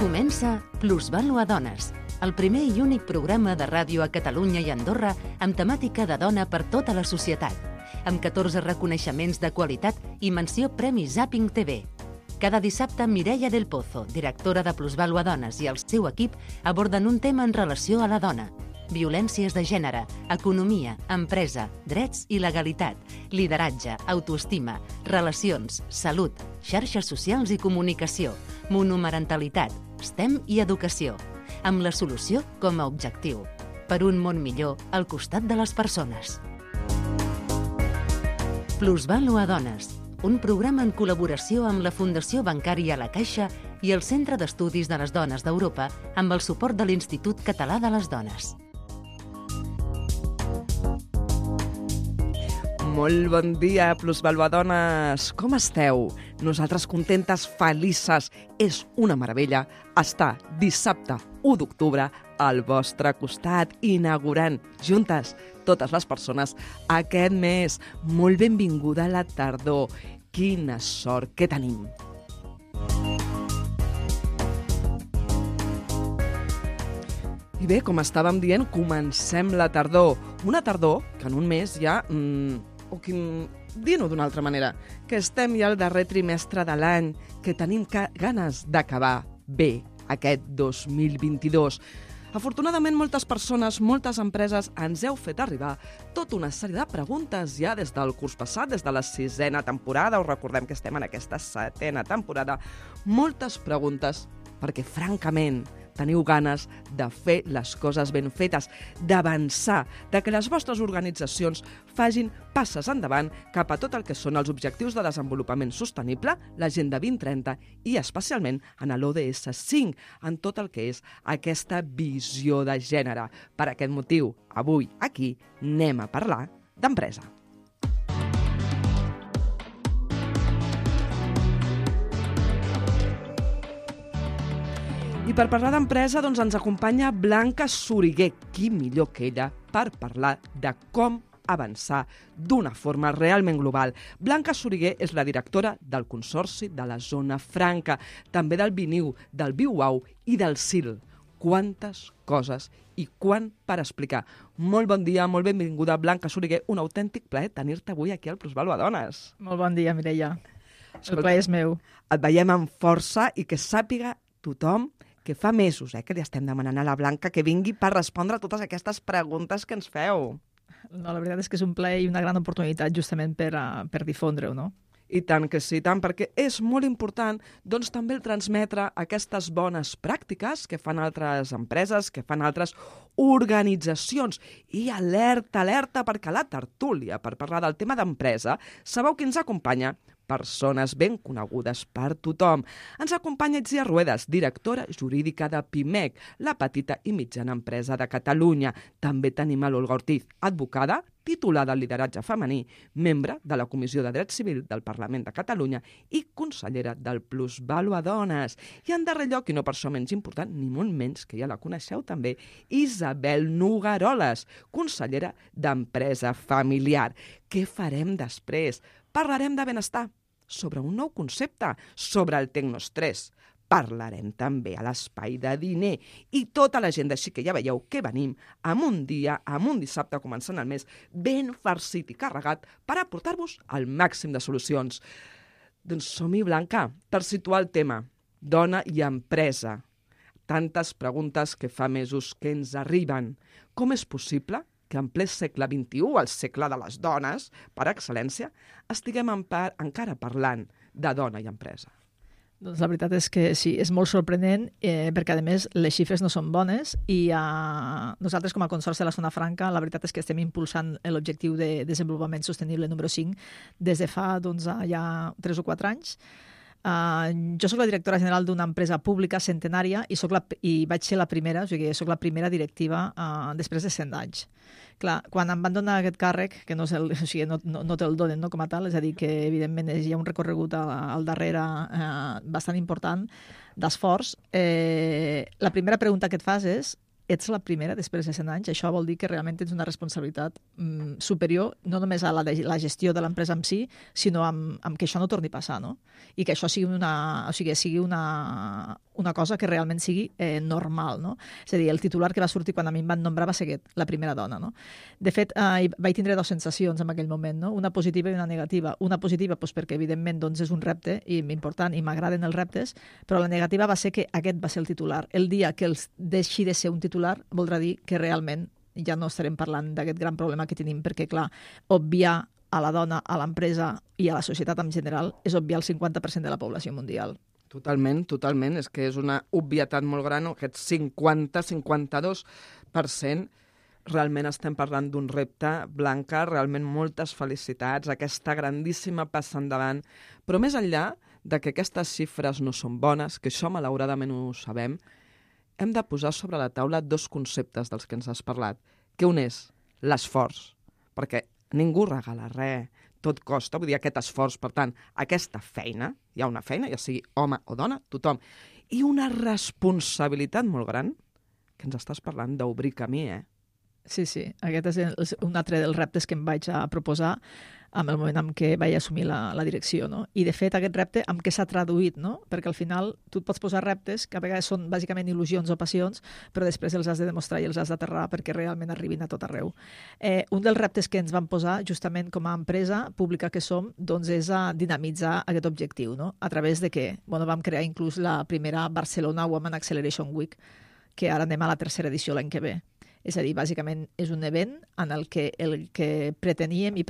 Comença Plusvàlua Dones, el primer i únic programa de ràdio a Catalunya i Andorra amb temàtica de dona per tota la societat, amb 14 reconeixements de qualitat i menció Premi Zapping TV. Cada dissabte, Mireia del Pozo, directora de Plusvàlua Dones, i el seu equip aborden un tema en relació a la dona. Violències de gènere, economia, empresa, drets i legalitat, lideratge, autoestima, relacions, salut, xarxes socials i comunicació, monomarentalitat, STEM i educació, amb la solució com a objectiu, per un món millor al costat de les persones. Plusvàlua Dones, un programa en col·laboració amb la Fundació Bancària La Caixa i el Centre d'Estudis de les Dones d'Europa amb el suport de l'Institut Català de les Dones. Molt bon dia, Plusvàlua Dones! Com esteu? Nosaltres contentes, felices. És una meravella estar dissabte 1 d'octubre al vostre costat, inaugurant juntes totes les persones aquest mes. Molt benvinguda a la tardor. Quina sort que tenim! I bé, com estàvem dient, comencem la tardor. Una tardor que en un mes ja... Dient-ho d'una altra manera, que estem ja al darrer trimestre de l'any, que tenim ganes d'acabar bé aquest 2022. Afortunadament, moltes persones, moltes empreses ens heu fet arribar tota una sèrie de preguntes ja des del curs passat, des de la 6a temporada. Us recordem que estem en aquesta 7a temporada. Moltes preguntes perquè, francament, teniu ganes de fer les coses ben fetes, d'avançar, de que les vostres organitzacions facin passes endavant cap a tot el que són els objectius de desenvolupament sostenible, l'Agenda 2030 i especialment en l'ODS 5, en tot el que és aquesta visió de gènere. Per aquest motiu, avui aquí anem a parlar d'empresa. I per parlar d'empresa ens acompanya Blanca Soriguer. Qui millor que ella per parlar de com avançar d'una forma realment global. Blanca Soriguer és la directora del Consorci de la Zona Franca, també del Biniu, del BIUAU i del CIL. Quantes coses i quant per explicar. Molt bon dia, molt benvinguda, Blanca Soriguer. Un autèntic plaer tenir-te avui aquí al Plusvàlua Dones. Molt bon dia, Mireia. El plaer és meu. Et veiem amb força i que sàpiga tothom que fa mesos que li estem demanant a la Blanca que vingui per respondre a totes aquestes preguntes que ens feu. No, la veritat és que és un plaer i una gran oportunitat justament per difondre-ho, no? I tant que sí, tant, perquè és molt important també el transmetre aquestes bones pràctiques que fan altres empreses, que fan altres organitzacions. I alerta, perquè a la tertúlia, per parlar del tema d'empresa, sabeu qui ens acompanya? Persones ben conegudes per tothom. Ens acompanya Itziar Ruedas, directora jurídica de PIMEC, la petita i mitjana empresa de Catalunya. També tenim a l'Olga Ortiz, advocada, titulada en lideratge femení, membre de la Comissió de Dret Civil del Parlament de Catalunya i consellera del Plusvàlua Dones. I en darrer lloc, i no per això menys important, ni molt menys, que ja la coneixeu també, Isabel Nogueroles, consellera d'Empresa Familiar. Què farem després? Parlarem de benestar, sobre un nou concepte, sobre el tecnoestrès. Parlarem també a l'espai de diner i tota l'agenda, així que ja veieu que venim amb un dia, amb un dissabte començant el mes, ben farcit i carregat per aportar-vos el màxim de solucions. Doncs som-hi, Blanca, per situar el tema. Dona i empresa. Tantes preguntes que fa mesos que ens arriben. Com és possible que en ple segle XXI, el segle de les dones, per excel·lència, estiguem encara parlant de dona i empresa? Doncs la veritat és que sí, és molt sorprenent perquè, a més, les xifres no són bones i nosaltres, com a Consorci de la Zona Franca, la veritat és que estem impulsant l'objectiu de desenvolupament sostenible número 5 des de fa ja 3 o 4 anys. Jo soc la directora general d'una empresa pública centenària i vaig ser la primera, o sigui, soc la primera directiva després de 100 anys. Clar, quan em van donar aquest càrrec, que no te'l donen com a tal, és a dir, que evidentment hi ha un recorregut al darrere bastant important d'esforç, la primera pregunta que et fas és ets la primera després de 100 anys, això vol dir que realment tens una responsabilitat superior, no només a la gestió de l'empresa en si, sinó amb que això no torni a passar, no? I que això sigui una cosa que realment sigui normal, no? És a dir, el titular que va sortir quan a mi em van nombrar va ser aquest, la primera dona, no? De fet, vaig tindre dues sensacions en aquell moment, no? Una positiva i una negativa. Una positiva doncs, perquè, evidentment, doncs, és un repte important i m'agraden els reptes, però la negativa va ser que aquest va ser el titular. El dia que els deixi de ser un titular voldrà dir que realment ja no estarem parlant d'aquest gran problema que tenim, perquè, clar, obviar a la dona, a l'empresa i a la societat en general és obviar el 50% de la població mundial. Totalment, totalment. És que és una obvietat molt gran, aquest 50-52%. Realment estem parlant d'un repte, Blanca, realment moltes felicitats, aquesta grandíssima passa endavant. Però més enllà de que aquestes xifres no són bones, que això malauradament ho sabem, hem de posar sobre la taula dos conceptes dels que ens has parlat, que un és l'esforç, perquè ningú regala res, tot costa, vull dir, aquest esforç, per tant, aquesta feina, hi ha una feina, ja sigui home o dona, tothom, i una responsabilitat molt gran, que ens estàs parlant d'obrir camí, Sí, aquest és un altre dels reptes que em vaig a proposar en el moment en què vaig assumir la direcció, no? I, de fet, aquest repte amb què s'ha traduït, no? Perquè al final tu et pots posar reptes que a vegades són bàsicament il·lusions o passions, però després els has de demostrar i els has d'aterrar perquè realment arribin a tot arreu. Un dels reptes que ens vam posar, justament com a empresa pública que som, doncs és a dinamitzar aquest objectiu, no? A través de què? Bueno, vam crear inclús la primera Barcelona Women Acceleration Week, que ara anem a la tercera edició l'any que ve. És a dir, bàsicament és un event en el que pretenem i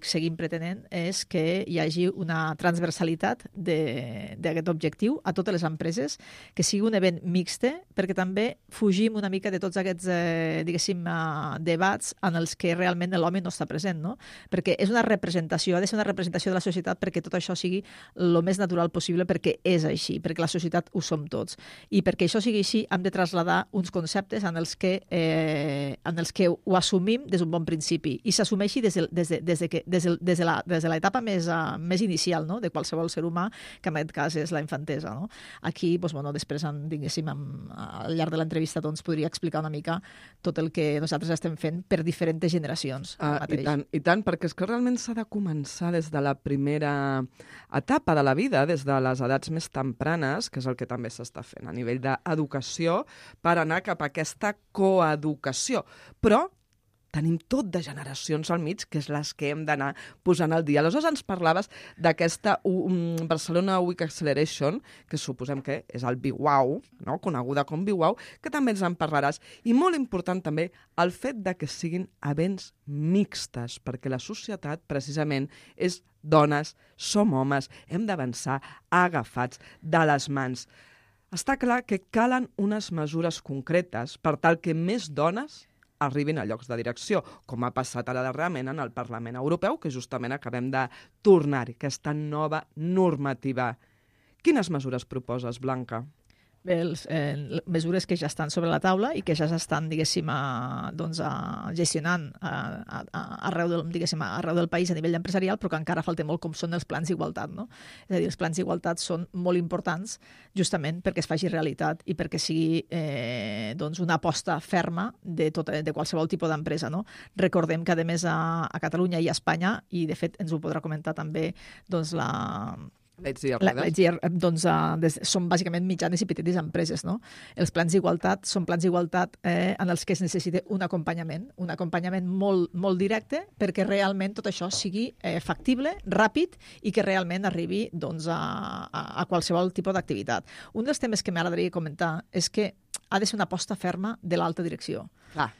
seguim pretenent és que hi hagi una transversalitat d'aquest objectiu a totes les empreses, que sigui un event mixte, perquè també fugim una mica de tots aquests, debats en els que realment l'home no està present, no? Perquè és una representació, ha de ser una representació de la societat perquè tot això sigui el més natural possible, perquè és així, perquè la societat ho som tots. I perquè això sigui així hem de traslladar uns conceptes en els que ho assumim des d'un bon principi i s'assumeixi des de l'etapa més inicial, no? De qualsevol ser humà, que en aquest cas és la infantesa, no? Aquí, doncs, després, al llarg de l'entrevista, doncs, podria explicar una mica tot el que nosaltres estem fent per diferents generacions. I tant, perquè és que realment s'ha de començar des de la primera etapa de la vida, des de les edats més tempranes, que és el que també s'està fent a nivell d'educació, per anar cap a aquesta coeducació. Però tenim tot de generacions al mig, que és les que hem d'anar posant al dia. Aleshores ens parlaves d'aquesta Barcelona Week Acceleration, que suposem que és el BWOW, no? Coneguda com BWOW, que també ens en parlaràs. I molt important també el fet de que siguin events mixtes, perquè la societat precisament és dones, som homes, hem d'avançar agafats de les mans. Està clar que calen unes mesures concretes per tal que més dones arribin a llocs de direcció, com ha passat ara darrerament en el Parlament Europeu, que justament acabem de tornar-hi, aquesta nova normativa. Quines mesures proposes, Blanca? Bé, mesures que ja estan sobre la taula i que ja s'estan, gestionant arreu del país a nivell empresarial, però que encara falta molt, com són els plans d'igualtat, no? És a dir, els plans d'igualtat són molt importants justament perquè es faci realitat i perquè sigui una aposta ferma de qualsevol tipus d'empresa, no? Recordem que, a més, a Catalunya i a Espanya, i de fet ens ho podrà comentar també són bàsicament mitjanes i petites empreses, no? Els plans d'igualtat són plans d'igualtat en els que es necessita un acompanyament molt, molt directe perquè realment tot això sigui factible, ràpid i que realment arribi a qualsevol tipus d'activitat. Un dels temes que m'agradaria comentar és que ha de ser una aposta ferma de l'alta direcció.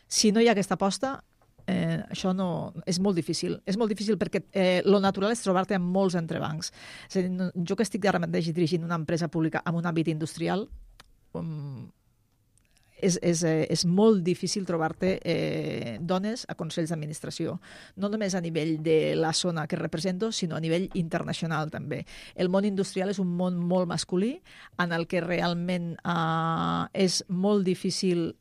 Si no hi ha aquesta aposta, això no, és molt difícil. És molt difícil perquè lo natural és trobar-te amb molts entrebancs. És a dir, jo que estic ara mateix dirigint una empresa pública en un àmbit industrial, és molt difícil trobar-te dones a consells d'administració. No només a nivell de la zona que represento, sinó a nivell internacional també. El món industrial és un món molt masculí, en el que realment és molt difícil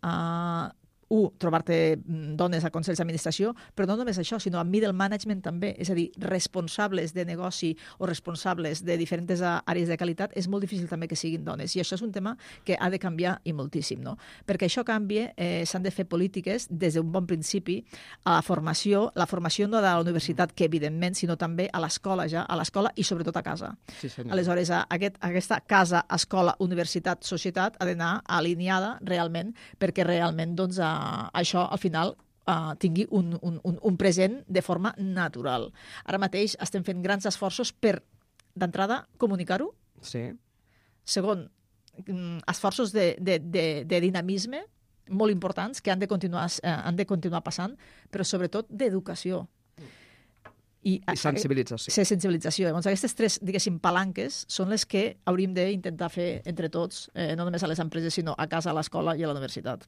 trobar-te dones a consells d'administració, però no només això, sinó a middle management també, és a dir, responsables de negoci o responsables de diferents àrees de qualitat, és molt difícil també que siguin dones, i això és un tema que ha de canviar i moltíssim, no? Perquè això canvia, s'han de fer polítiques des d'un bon principi a la formació no de la universitat, que evidentment, sinó també a l'escola ja, a l'escola i sobretot a casa. Sí, senyor. Aleshores, aquesta casa, escola, universitat, societat ha d'anar alineada realment, perquè realment doncs, això al final tingui un present de forma natural. Ara mateix estem fent grans esforços per, d'entrada, comunicar-ho. Sí. Segon, esforços de dinamisme molt importants que han de continuar passant, però sobretot d'educació. I sensibilització. Sensibilització. Llavors, aquestes tres, diguéssim, palanques són les que hauríem d'intentar fer entre tots, no només a les empreses, sinó a casa, a l'escola i a la universitat.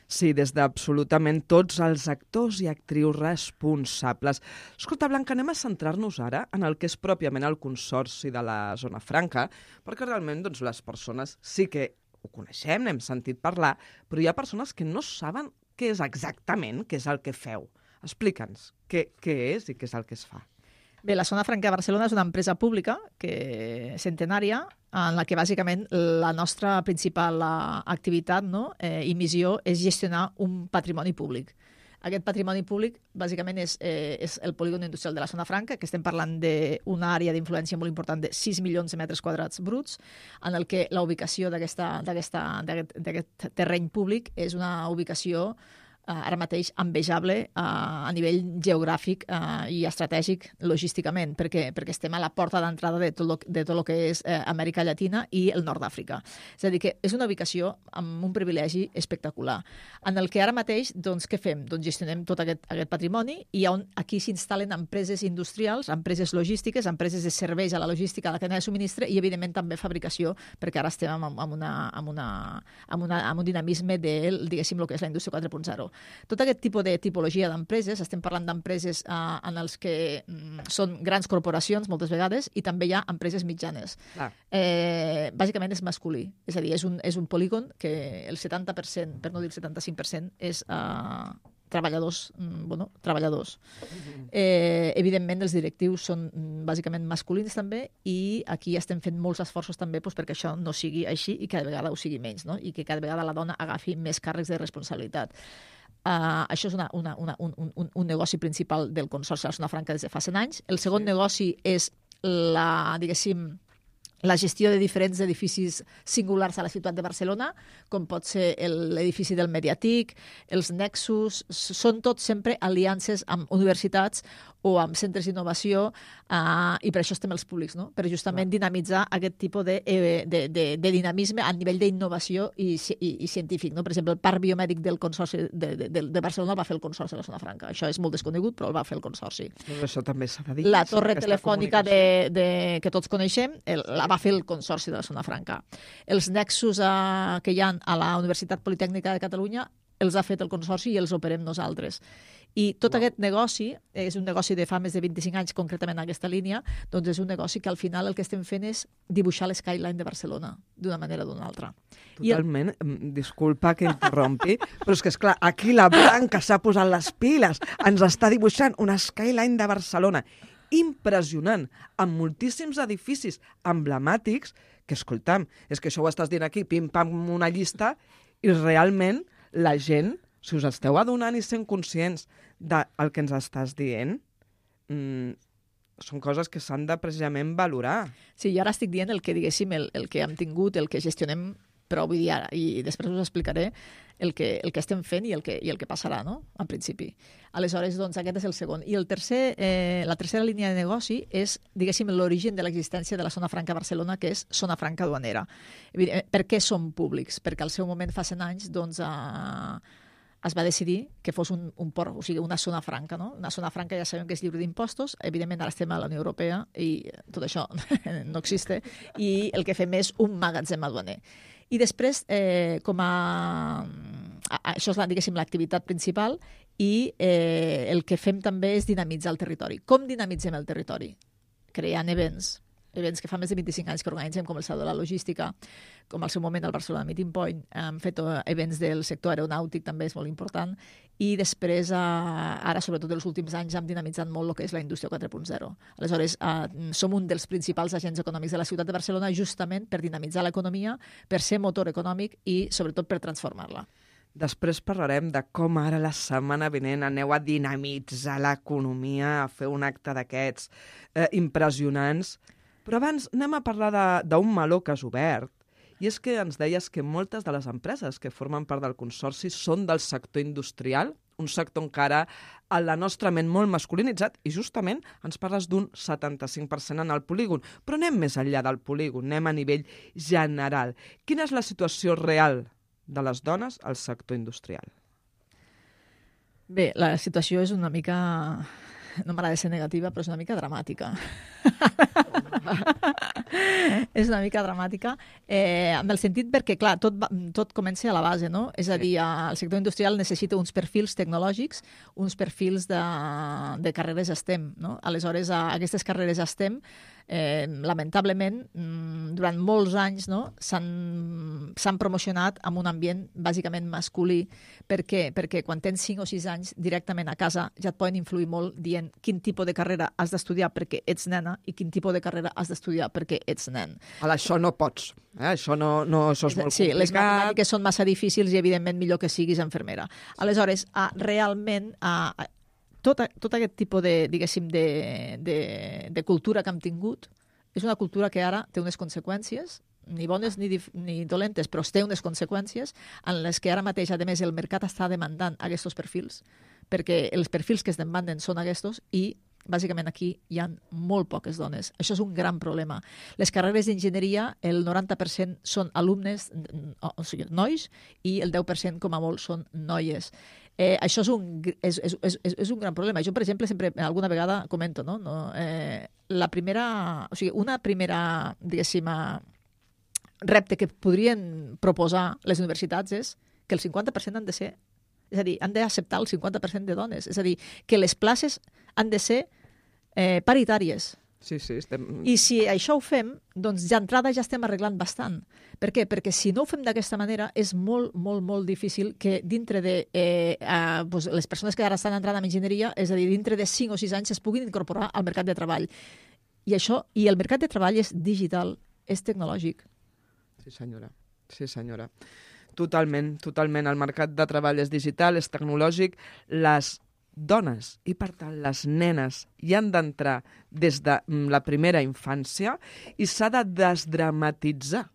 Sí, des d'absolutament tots els actors i actrius responsables. Escolta, Blanca, anem a centrar-nos ara en el que és pròpiament el Consorci de la Zona Franca, perquè realment doncs, les persones sí que ho coneixem, n'hem sentit parlar, però hi ha persones que no saben què és exactament, què és el que feu. Explica'ns què és i què és el que es fa. Bé, la Zona Franca de Barcelona és una empresa pública centenària en la que bàsicament la nostra principal activitat i missió és gestionar un patrimoni públic. Aquest patrimoni públic bàsicament és el polígon industrial de la Zona Franca, que estem parlant d'una àrea d'influència molt important de 6 milions de metres quadrats bruts, en el que la ubicació d'aquest terreny públic és una ubicació ara mateix envejable a nivell geogràfic i estratègic logísticament, perquè estem a la porta d'entrada de tot el que és Amèrica Llatina i el nord d'Àfrica. És a dir, que és una ubicació amb un privilegi espectacular, en el que ara mateix, doncs, què fem? Doncs gestionem tot aquest patrimoni i on aquí s'instal·len empreses industrials, empreses logístiques, empreses de serveis a la logística, a la cadena de subministre i, evidentment, també fabricació, perquè ara estem amb un dinamisme de, diguéssim, el que és la indústria 4.0. Tot aquest tipus de tipologia d'empreses, estem parlant d'empreses en els que són grans corporacions moltes vegades i també hi ha empreses mitjanes. Bàsicament és masculí, és a dir, és un polígon que el 70%, per no dir el 75%, és treballadors. Evidentment, els directius són bàsicament masculins també i aquí estem fent molts esforços també perquè això no sigui així i cada vegada ho sigui menys, no? I que cada vegada la dona agafi més càrrecs de responsabilitat. Això és un negoci principal del Consorci de la Zona Franca des de fa 100 anys. El segon negoci és la gestió de diferents edificis singulars a la ciutat de Barcelona, com pot ser l'edifici del Mediatic, els Nexus, són tots sempre aliances amb universitats o amb centres d'innovació i per això estem els públics, no? Per justament dinamitzar aquest tipus de dinamisme a nivell d'innovació i científic, no? Per exemple, el parc biomèdic del Consorci de Barcelona el va fer el Consorci de la Zona Franca. Això és molt desconegut, però el va fer el Consorci. Això també s'ha de dir. La torre telefònica que tots coneixem la va fer el Consorci de la Zona Franca. Els nexus que hi ha a la Universitat Politècnica de Catalunya els ha fet el Consorci i els operem nosaltres. I tot aquest negoci, és un negoci de fa més de 25 anys concretament en aquesta línia, doncs és un negoci que al final el que estem fent és dibuixar l'skyline de Barcelona d'una manera o d'una altra. Totalment, disculpa que interrompi, però és que, esclar, aquí la Blanca s'ha posat les piles, ens està dibuixant un skyline de Barcelona impressionant, amb moltíssims edificis emblemàtics, que, escolta'm, és que això ho estàs dient aquí, pim-pam, una llista, i realment la gent, si us esteu adonant i sent conscients del que ens estàs dient, són coses que s'han de precisament valorar. Sí, jo ara estic dient el que, diguéssim, el que hem tingut, el que gestionem, però vull dir ara, i després us explicaré el que estem fent i el que passarà, no?, en principi. Aleshores, doncs, aquest és el segon. I la tercera línia de negoci és, diguéssim, l'origen de l'existència de la Zona Franca Barcelona, que és Zona Franca Duanera. Per què som públics? Perquè al seu moment, fa 100 anys, doncs, es va decidir que fos un port, o sigui, una zona franca, no? Una zona franca ja sabem que és lliure d'impostos, evidentment ara estem a la Unió Europea i tot això no existe, i el que fem és un magatzem aduaner. I després, això és, diguéssim, l'activitat principal, i el que fem també és dinamitzar el territori. Com dinamitzem el territori? Creant events, events que fa més de 25 anys que organitzem, com el Saló de la Logística, com al seu moment el Barcelona Meeting Point, hem fet events del sector aeronàutic, també és molt important, i després, ara, sobretot els últims anys, hem dinamitzat molt el que és la indústria 4.0. Aleshores, som un dels principals agents econòmics de la ciutat de Barcelona justament per dinamitzar l'economia, per ser motor econòmic i, sobretot, per transformar-la. Després parlarem de com ara la setmana vinent aneu a dinamitzar l'economia, a fer un acte d'aquests impressionants. Però abans anem a parlar d'un meló que has obert, i és que ens deies que moltes de les empreses que formen part del consorci són del sector industrial, un sector encara a la nostra ment molt masculinitzat, i justament ens parles d'un 75% en el polígon. Però anem més enllà del polígon, anem a nivell general. Quina és la situació real de les dones al sector industrial? Bé, la situació és una mica... No m'agrada ser negativa, però és una mica dramàtica. És una mica dramàtica, en el sentit perquè, clar, tot comença a la base, no? És a dir, el sector industrial necessita uns perfils tecnològics, uns perfils de carreres STEM, no? Aleshores, aquestes carreres STEM, lamentablement, durant molts anys, no, s'han promocionat en un ambient bàsicament masculí. Per què? Perquè quan tens 5 o 6 anys, directament a casa ja et poden influir molt dient quin tipus de carrera has d'estudiar perquè ets nena i quin tipus de carrera has d'estudiar perquè ets nen. Això no pots. Això és molt complicat. Sí, les matemàtiques són massa difícils i, evidentment, millor que siguis infermera. Aleshores, realment... Tot aquest tipus de cultura que hem tingut és una cultura que ara té unes conseqüències, ni bones ni dolentes, però té unes conseqüències en les que ara mateix, a més, el mercat està demandant aquests perfils, perquè els perfils que es demanden són aquests i bàsicament aquí hi ha molt poques dones. Això és un gran problema. Les carreres d'enginyeria, el 90% són alumnes, o sigui, nois, i el 10% com a molt són noies. Això és un gran problema. Jo, per exemple, sempre alguna vegada comento, no? Una primera, diguéssim, repte que podrien proposar les universitats és que el 50% han de ser, és a dir, han d'acceptar el 50% de dones. És a dir, que les places han de ser paritàries. Sí, I si això ho fem, doncs d'entrada ja estem arreglant bastant. Per què? Perquè si no ho fem d'aquesta manera és molt, molt, molt difícil que dintre de les persones que ara estan entrant en enginyeria, és a dir, dintre de 5 o 6 anys es puguin incorporar al mercat de treball. I el mercat de treball és digital, és tecnològic. Sí, senyora. Totalment. El mercat de treball és digital, és tecnològic. Les dones i, per tant, les nenes hi han d'entrar des de la primera infància i s'ha de desdramatitzar,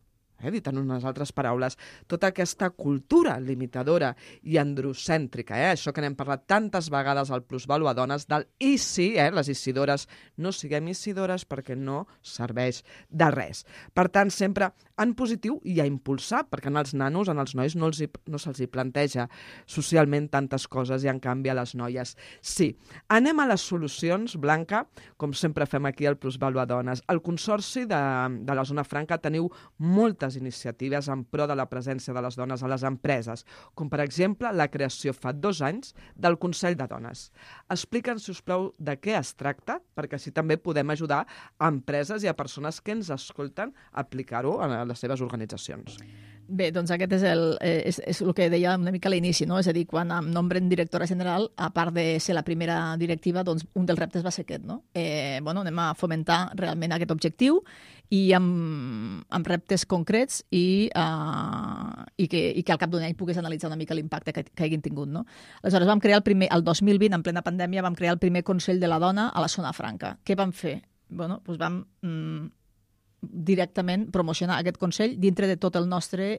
dit en unes altres paraules, tota aquesta cultura limitadora i androcèntrica, això que n'hem parlat tantes vegades al Plusvàlua Dones, del i sí, les isidores, no siguem isidores perquè no serveix de res. Per tant, sempre en positiu i a impulsar, perquè als nanos, als nois, no se'ls hi planteja socialment tantes coses i, en canvi, a les noies sí. Anem a les solucions, Blanca, com sempre fem aquí al Plusvàlua Dones. Al Consorci de la Zona Franca teniu moltes iniciatives en pro de la presència de les dones a les empreses, com per exemple la creació fa 2 anys del Consell de Dones. Explica'ns, si us plau, de què es tracta, perquè així també podem ajudar a empreses i a persones que ens escolten a aplicar-ho a les seves organitzacions. Bé, doncs aquest és el que deia una mica a l'inici, no? És a dir, quan em nombren directora general, a part de ser la primera directiva, doncs un dels reptes va ser aquest, no? Anem a fomentar realment aquest objectiu i amb reptes concrets i que al cap d'un any puguis analitzar una mica l'impacte que hagin tingut, no? Aleshores vam crear el 2020, en plena pandèmia, vam crear el primer Consell de la Dona a la Zona Franca. Què vam fer? Doncs vam directament promocionar aquest Consell dintre de tot el nostre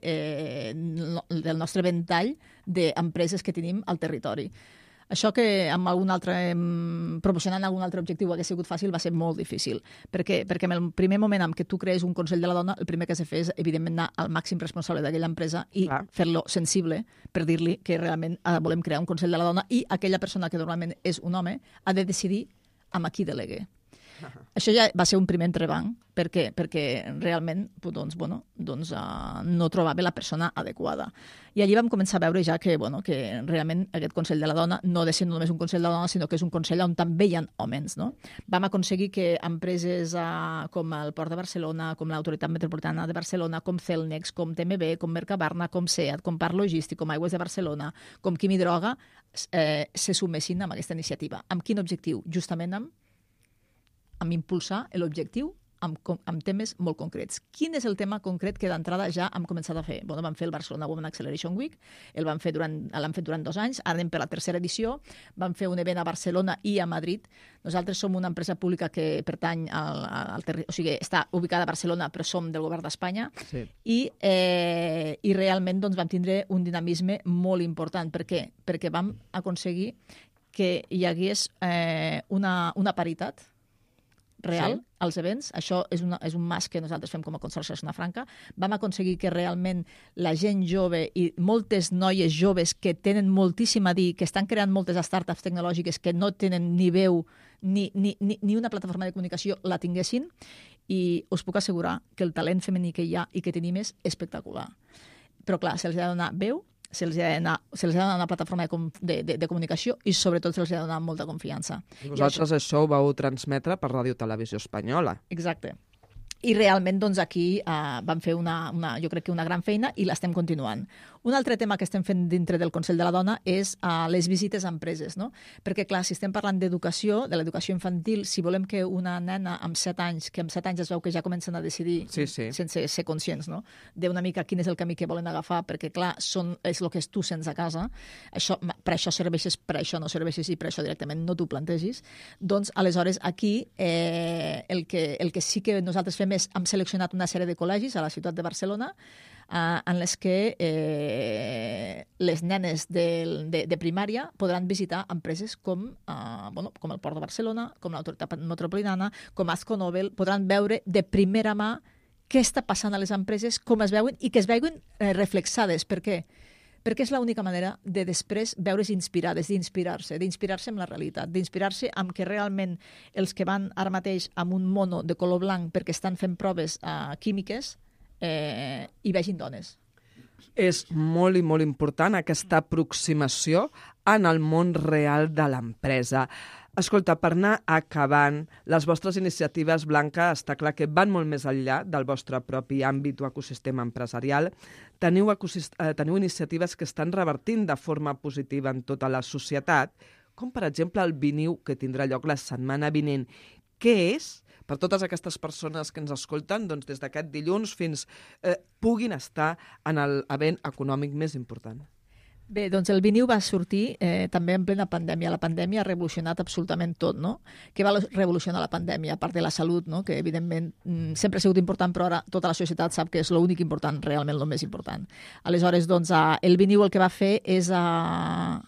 ventall d'empreses que tenim al territori. Això que amb promocionant algun altre objectiu hagués sigut fàcil va ser molt difícil. Perquè en el primer moment en què tu crees un Consell de la Dona, el primer que has de fer és, evidentment, anar al màxim responsable d'aquella empresa i fer-lo sensible per dir-li que realment volem crear un Consell de la Dona i aquella persona que normalment és un home ha de decidir amb a qui delegue. Això ja va ser un primer entrebanc, perquè realment no trobava la persona adequada. I allí vam començar a veure ja que realment aquest Consell de la Dona no ha de ser només un Consell de la Dona, sinó que és un Consell on també hi ha homes. No? Vam aconseguir que empreses com el Port de Barcelona, com l'Autoritat Metropolitana de Barcelona, com Celnex, com TMB, com Mercabarna, com SEAT, com Parc Logístic, com Aigües de Barcelona, com Quimi Droga, se sumessin amb aquesta iniciativa. Amb quin objectiu? Justament amb impulsar l'objectiu amb temes molt concrets. Quin és el tema concret que d'entrada ja hem començat a fer? Vam fer el Barcelona Women Acceleration Week, l'han fet durant 2 anys, ara anem per la 3a edició, vam fer un event a Barcelona i a Madrid. Nosaltres som una empresa pública que pertany o sigui, està ubicada a Barcelona, però som del govern d'Espanya, sí. I realment vam tindre un dinamisme molt important. Per què? Perquè vam aconseguir que hi hagués una paritat real als events. Això és un mas que nosaltres fem com a Consorci de Zona Franca. Vam aconseguir que realment la gent jove i moltes noies joves que tenen moltíssim a dir, que estan creant moltes startups tecnològiques que no tenen ni veu ni una plataforma de comunicació la tinguessin, i us puc assegurar que el talent femení que hi ha i que tenim és espectacular. Però clar, se'ls ha de donar veu, se'ls ha de donar una plataforma de comunicació i sobretot se'ls ha de donar molta confiança. I vosaltres això ho vau transmetre per Ràdio Televisió Espanyola. Exacte. I realment aquí vam fer jo crec que una gran feina i l'estem continuant. Un altre tema que estem fent dintre del Consell de la Dona és les visites a empreses, no? Perquè, clar, si estem parlant d'educació, de l'educació infantil, si volem que una nena amb 7 anys, que amb 7 anys es veu que ja comencen a decidir, sense ser conscients, no? D'una mica quin és el camí que volen agafar, perquè, clar, és el que tu sents a casa, per això serveixes, per això no serveixes i per això directament no t'ho plantegis, doncs, aleshores, aquí el que sí que nosaltres fem és hem seleccionat una sèrie de col·legis a la ciutat de Barcelona en les que les nenes de primària podran visitar empreses com el Port de Barcelona, com l'Autoritat Metropolitana, com Azco Nobel, podran veure de primera mà què està passant a les empreses, com es veuen i que es veuen reflexades. Per què? Perquè és l'única manera de després veure's inspirades, d'inspirar-se amb la realitat, d'inspirar-se amb que realment els que van ara mateix amb un mono de color blanc perquè estan fent proves químiques hi vegin dones. És molt i molt important aquesta aproximació en el món real de l'empresa. Escolta, per anar acabant, les vostres iniciatives, Blanca, està clar que van molt més enllà del vostre propi àmbit o ecosistema empresarial. Teniu iniciatives que estan revertint de forma positiva en tota la societat, com per exemple el Viniu, que tindrà lloc la setmana vinent. Què és? Per totes aquestes persones que ens escolten, doncs des d'aquest dilluns fins puguin estar en l'event econòmic més important. Bé, doncs el Viniu va sortir també en plena pandèmia. La pandèmia ha revolucionat absolutament tot, no? Què va revolucionar la pandèmia? A part de la salut, no? Que evidentment sempre ha sigut important, però ara tota la societat sap que és l'únic important, realment el més important. Aleshores, doncs, el Viniu el que va fer és el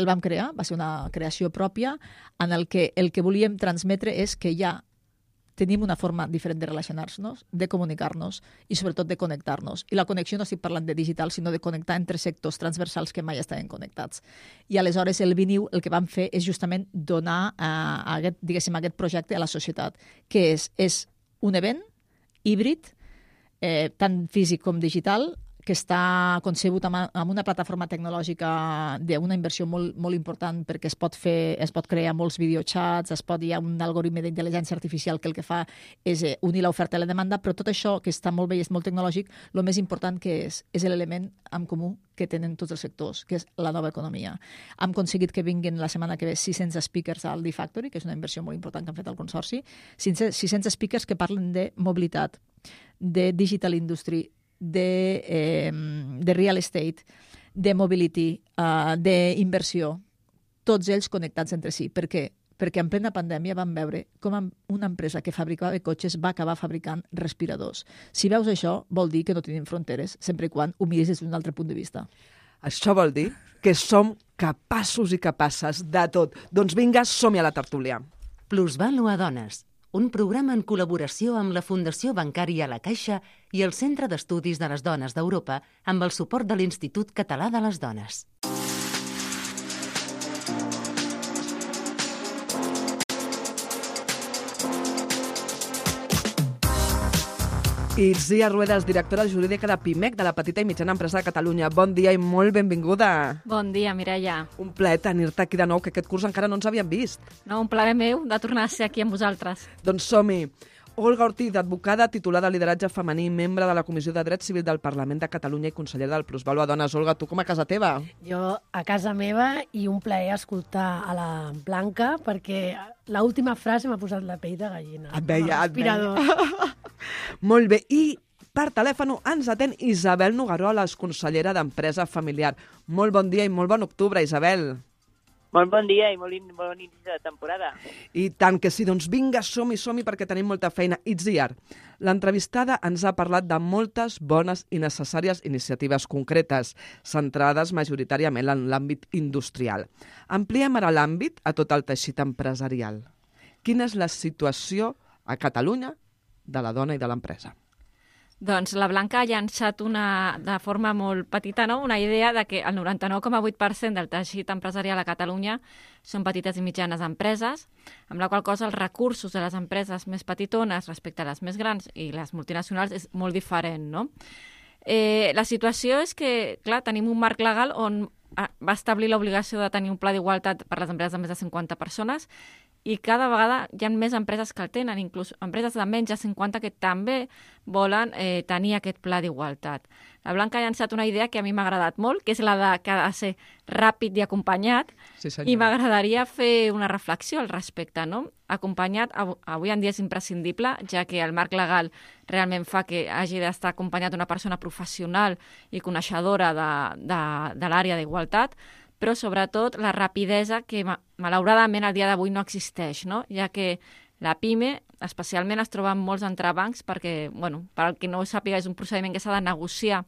vam crear, va ser una creació pròpia en el que volíem transmetre és que ja tenim una forma diferent de relacionar-nos, de comunicar-nos i sobretot de connectar-nos. I la connexió no estic parlant de digital, sinó de connectar entre sectors transversals que mai estaven connectats. I aleshores el Viniu el que vam fer és justament donar aquest projecte a la societat, que és un event híbrid, tant físic com digital, que està concebut amb una plataforma tecnològica d'una inversió molt, molt important perquè es pot crear molts videochats, hi ha un algoritme d'intel·ligència artificial que el que fa és unir l'oferta i la demanda, però tot això, que està molt bé i és molt tecnològic, el més important que és l'element en comú que tenen tots els sectors, que és la nova economia. Hem aconseguit que vinguin la setmana que ve 600 speakers al D-Factory, que és una inversió molt important que han fet al Consorci, 600 speakers que parlen de mobilitat, de digital industry, de real estate, de mobility, d'inversió, tots ells connectats entre si. Per què? Perquè en plena pandèmia vam veure com una empresa que fabricava cotxes va acabar fabricant respiradors. Si veus això, vol dir que no tenim fronteres, sempre i quan ho miris des d'un altre punt de vista. Això vol dir que som capaços i capaces de tot. Doncs vinga, som-hi a la tertúlia. Plusvalua Dones, un programa en col·laboració amb la Fundació Bancària La Caixa i el Centre d'Estudis de les Dones d'Europa amb el suport de l'Institut Català de les Dones. Itzia Ruedas, directora jurídica de PIMEC, de la Petita i Mitjana Empresa de Catalunya. Bon dia i molt benvinguda. Bon dia, Mireia. Un plaer tenir-te aquí de nou, que aquest curs encara no ens havíem vist. No, un plaer meu de tornar a ser aquí amb vosaltres. Doncs som-hi. Olga Ortiz, advocada, titulada Lideratge Femení, membre de la Comissió de Dret Civil del Parlament de Catalunya i consellera del Plusvalor a Dones. Olga, tu com a casa teva? Jo a casa meva, i un plaer escoltar a la Blanca, perquè l'última frase m'ha posat la pell de gallina. Et veia. Molt bé. I per telèfon ens atén Isabel Nogaroles, consellera d'Empresa Familiar. Molt bon dia i molt bon octubre, Isabel. Molt bon dia i molt bon inici de temporada. I tant que sí, doncs vinga, som-hi perquè tenim molta feina. Itziar, l'entrevistada ens ha parlat de moltes bones i necessàries iniciatives concretes, centrades majoritàriament en l'àmbit industrial. Ampliem ara l'àmbit a tot el teixit empresarial. Quina és la situació a Catalunya de la dona i de l'empresa? Doncs la Blanca ha llançat de forma molt petita, no? Una idea de que el 99,8% del teixit empresarial a Catalunya són petites i mitjanes empreses, amb la qual cosa els recursos de les empreses més petitones respecte a les més grans i les multinacionals és molt diferent, no? La situació és que, clar, tenim un marc legal on va establir l'obligació de tenir un pla d'igualtat per a les empreses de més de 50 persones i cada vegada hi ha més empreses que el tenen, inclús empreses de menys de 50 que també volen tenir aquest pla d'igualtat. La Blanca ha llançat una idea que a mi m'ha agradat molt, que és la de que ha de ser ràpid i acompanyat, sí, i m'agradaria fer una reflexió al respecte, no? Acompanyat, avui en dia és imprescindible, ja que el marc legal realment fa que hagi d'estar acompanyat d'una persona professional i coneixedora de l'àrea d'igualtat, però sobretot la rapidesa que malauradament al dia d'avui no existeix, no? Ja que la PIME especialment es troba amb molts entrebancs perquè, bueno, per al que no ho sàpiga, és un procediment que s'ha de negociar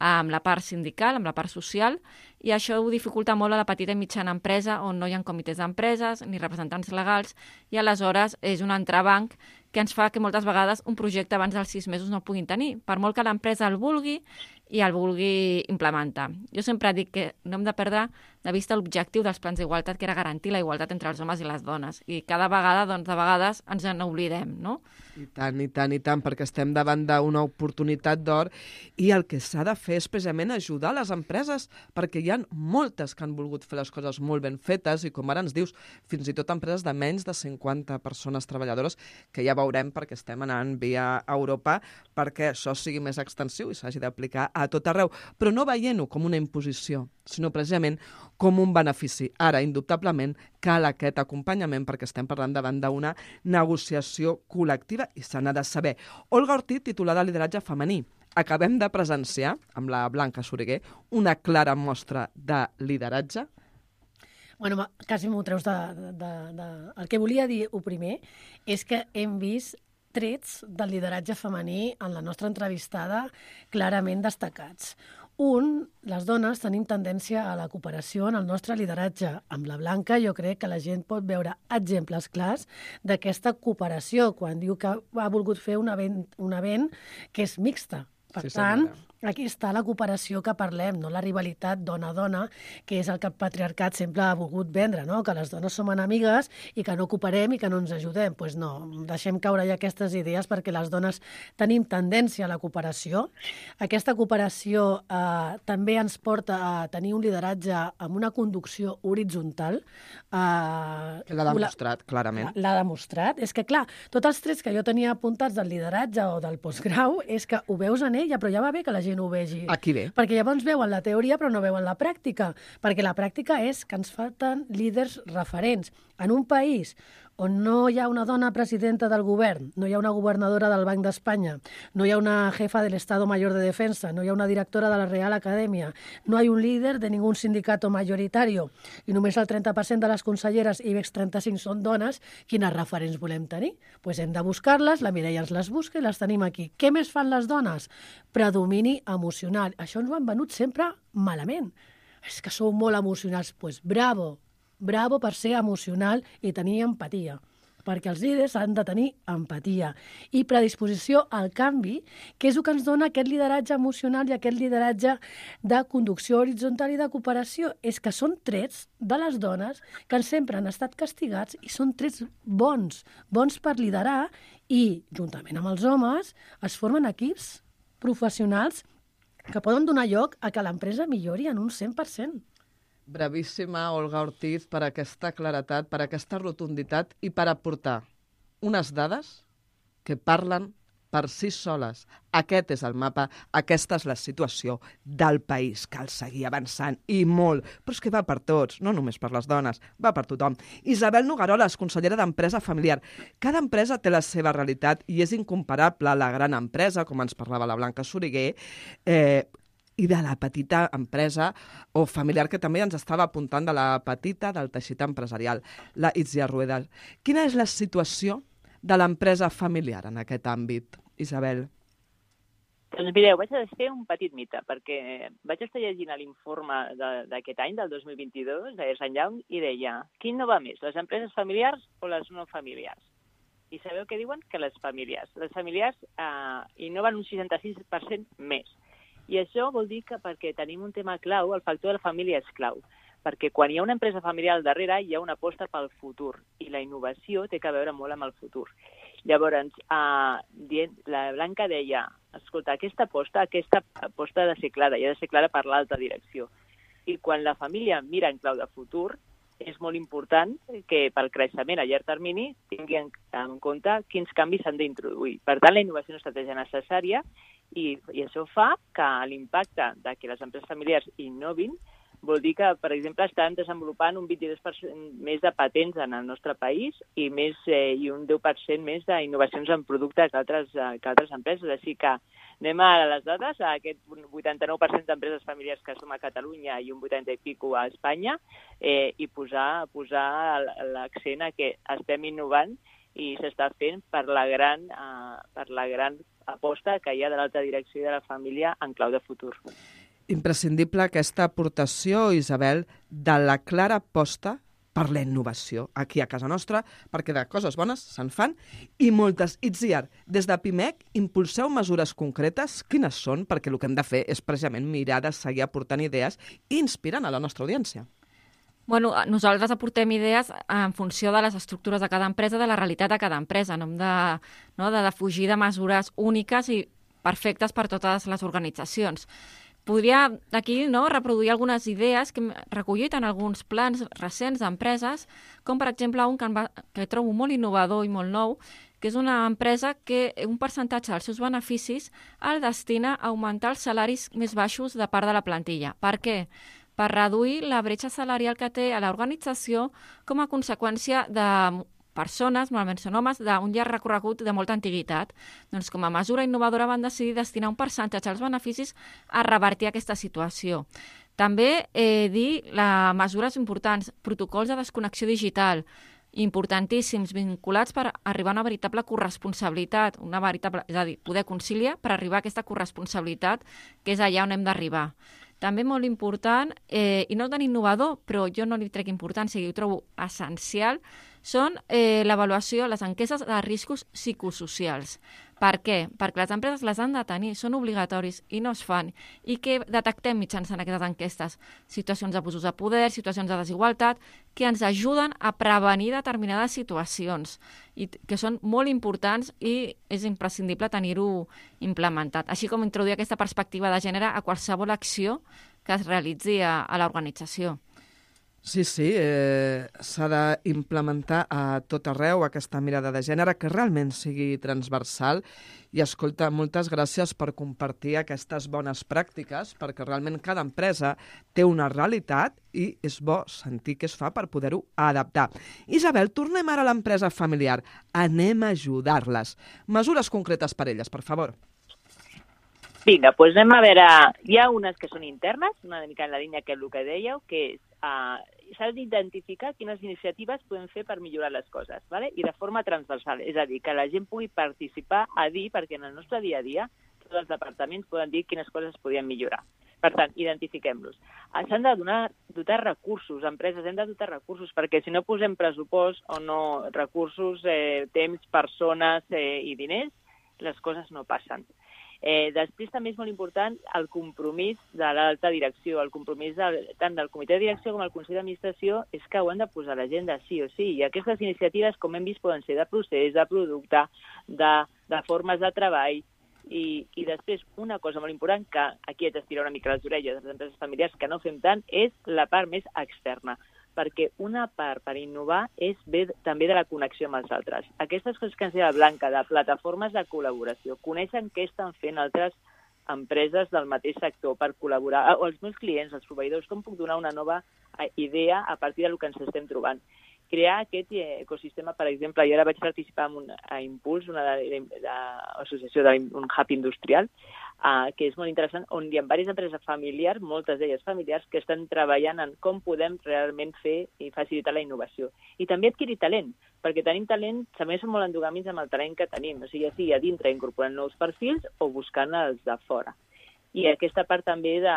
amb la part sindical, amb la part social, i això ho dificulta molt a la petita i mitjana empresa, on no hi ha comitès d'empreses ni representants legals, i aleshores és un entrebanc que ens fa que moltes vegades un projecte abans dels 6 mesos no el puguin tenir, per molt que l'empresa el vulgui i el vulgui implementar. Jo sempre dic que no hem de perdre de vista l'objectiu dels plans d'igualtat, que era garantir la igualtat entre els homes i les dones. I cada vegada, doncs, de vegades ens n'oblidem, no? I tant, perquè estem davant d'una oportunitat d'or i el que s'ha de fer és precisament ajudar les empreses, perquè hi ha moltes que han volgut fer les coses molt ben fetes i, com ara ens dius, fins i tot empreses de menys de 50 persones treballadores, que ja veurem perquè estem anant via Europa perquè això sigui més extensiu i s'hagi d'aplicar a tot arreu, però no veient-ho com una imposició, sinó precisament com un benefici. Ara, indubtablement, cal aquest acompanyament perquè estem parlant davant d'una negociació col·lectiva i se n'ha de saber. Olga Ortiz, titulada de Lideratge Femení. Acabem de presenciar, amb la Blanca Soriguer, una clara mostra de lideratge. Bueno, quasi m'ho treus El que volia dir, el primer, és que hem vist trets del lideratge femení en la nostra entrevistada clarament destacats. Les dones tenim tendència a la cooperació en el nostre lideratge. Amb la Blanca jo crec que la gent pot veure exemples clars d'aquesta cooperació quan diu que ha volgut fer un event que és mixta. Per tant, aquí està la cooperació que parlem, no la rivalitat dona-dona, que és el que el patriarcat sempre ha volgut vendre, no? Que les dones som enemigues i que no cooperem i que no ens ajudem. Doncs no, deixem caure ja aquestes idees perquè les dones tenim tendència a la cooperació. Aquesta cooperació també ens porta a tenir un lideratge amb una conducció horitzontal. L'ha demostrat, clarament. L'ha demostrat. És que, clar, tots els trets que jo tenia apuntats del lideratge o del postgrau és que ho veus en ella, però ja va bé que la gent ho vegi. Aquí bé. Perquè llavors veuen la teoria però no veuen la pràctica. Perquè la pràctica és que ens falten líders referents. En un país on no hi ha una dona presidenta del govern, no hi ha una governadora del Banc d'Espanya, no hi ha una jefa del Estado Mayor de Defensa, no hi ha una directora de la Real Academia, no hi ha un líder de ningún sindicato mayoritario i només el 30% de les conselleres IBEX 35 són dones, quines referents volem tenir? Doncs hem de buscar-les, la Mireia ens les busca i les tenim aquí. Què més fan les dones? Predomini emocional. Això ens ho han venut sempre malament. És que sou molt emocionals. Doncs bravo per ser emocional i tenir empatia. perquè els líders han de tenir empatia i predisposició al canvi, que és el que ens dona aquest lideratge emocional i aquest lideratge de conducció horitzontal i de cooperació. És que són trets de les dones que sempre han estat castigats i són trets bons per liderar i, juntament amb els homes, es formen equips professionals que poden donar lloc a que l'empresa millori en un 100%. Bravíssima, Olga Ortiz, per aquesta claretat, per aquesta rotunditat i per aportar unes dades que parlen per si soles. Aquest és el mapa, aquesta és la situació del país. Cal seguir avançant, i molt. Però és que va per tots, no només per les dones, va per tothom. Isabel Nogueroles, consellera d'Empresa Familiar. Cada empresa té la seva realitat i és incomparable a la gran empresa, com ens parlava la Blanca Soriguer, i de la petita empresa o familiar, que també ens estava apuntant de la petita, del teixit empresarial, la Itzia Rueda. Quina és la situació de l'empresa familiar en aquest àmbit, Isabel? Doncs mireu, vaig a desfer un petit mite, perquè vaig estar llegint l'informe d'aquest any, del 2022, de Ernst & Young, i deia, quin no va més, les empreses familiars o les no familiars? I sabeu què diuen? Que les familiars. Les familiars innoven un 66% més. I això vol dir que perquè tenim un tema clau, el factor de la família és clau, perquè quan hi ha una empresa familiar al darrere hi ha una aposta pel futur, i la innovació té a veure molt amb el futur. Llavors, la Blanca deia, escolta, aquesta aposta ha de ser clara, i ha de ser clara per l'alta direcció. I quan la família mira en clau de futur, és molt important que pel creixement a llarg termini tingui en compte quins canvis s'han d'introduir. Per tant, la innovació és una estratègia necessària i això fa que l'impacte de que les empreses familiars innovin vol dir que, per exemple, estan desenvolupant un 22% més de patents en el nostre país i un 10% més d'innovacions en producte que altres empreses. Així que anem a les dades, a aquest 89% d'empreses familiars que som a Catalunya i un 80 i pico a Espanya, i posar l'accent a que estem innovant i s'està fent per la gran aposta que hi ha de l'alta direcció i de la família en clau de futur. Imprescindible aquesta aportació, Isabel, de la clara aposta per la innovació aquí a casa nostra, perquè de coses bones se'n fan i moltes. Itziar, des de PIMEC impulseu mesures concretes? Quines són? Perquè el que hem de fer és precisament mirar de seguir aportant idees i inspirant a la nostra audiència. Bueno, nosaltres aportem idees en funció de les estructures de cada empresa, de la realitat de cada empresa. No hem de fugir de mesures úniques i perfectes per totes les organitzacions. Podria aquí reproduir algunes idees que hem recollit en alguns plans recents d'empreses, com per exemple un que trobo molt innovador i molt nou, que és una empresa que un percentatge dels seus beneficis el destina a augmentar els salaris més baixos de part de la plantilla. Per què? Per reduir la bretxa salarial que té a l'organització com a conseqüència de persones, normalment són homes, d'un llarg recorregut de molta antiguitat. Doncs com a mesura innovadora van decidir destinar un percentatge als beneficis a revertir aquesta situació. També dir mesures importants, protocols de desconnexió digital, importantíssims, vinculats per arribar a una veritable corresponsabilitat, és a dir, poder conciliar per arribar a aquesta corresponsabilitat, que és allà on hem d'arribar. També molt important, i no tan innovador, però jo no li trec importància i ho trobo essencial, són l'avaluació, les enquestes de riscos psicosocials. Per què? Perquè les empreses les han de tenir, són obligatoris i no es fan. I què detectem mitjançant aquestes enquestes? Situacions d'abusos de poder, situacions de desigualtat, que ens ajuden a prevenir determinades situacions i que són molt importants i és imprescindible tenir-ho implementat. Així com introduir aquesta perspectiva de gènere a qualsevol acció que es realitzi a l'organització. Sí, s'ha d'implementar a tot arreu aquesta mirada de gènere que realment sigui transversal. I escolta, moltes gràcies per compartir aquestes bones pràctiques, perquè realment cada empresa té una realitat i és bo sentir què es fa per poder-ho adaptar. Isabel, tornem ara a l'empresa familiar. Anem a ajudar-les. Mesures concretes per elles, per favor. Vinga, doncs anem a veure. Hi ha unes que són internes, una mica en la línia que el que dèieu, que és s'ha d'identificar quines iniciatives podem fer per millorar les coses, ¿vale? I de forma transversal, és a dir, que la gent pugui participar a dir, perquè en el nostre dia a dia tots els departaments poden dir quines coses es podien millorar. Per tant, identifiquem-los. S'han de dotar recursos, empreses hem de dotar recursos, perquè si no posem pressupost o no recursos, temps, persones i diners, les coses no passen. Després també és molt important el compromís de l'alta direcció, el compromís tant del comitè de direcció com del Consell d'Administració és que ho han de posar a l'agenda sí o sí. I aquestes iniciatives, com hem vist, poden ser de procés, de producte, de formes de treball. I després, una cosa molt important, que aquí haig d'estirar una mica les orelles de les empreses familiars, que no fem tant, és la part més externa. Perquè una part per innovar és bé també de la connexió amb els altres. Aquestes coses que ens deia Blanca, de plataformes de col·laboració, coneixen què estan fent altres empreses del mateix sector per col·laborar, o els meus clients, els proveïdors, com puc donar una nova idea a partir del que ens estem trobant. Crear aquest ecosistema, per exemple, jo ara vaig participar en a Impuls, una associació d'un hub industrial, que és molt interessant, on hi ha diverses empreses familiars, moltes d'elles familiars, que estan treballant en com podem realment fer i facilitar la innovació. I també adquirir talent, perquè tenim talent, també som molt endogàmics amb el talent que tenim, o sigui, ja sigui a dintre incorporant nous perfils o buscant els de fora. I aquesta part també de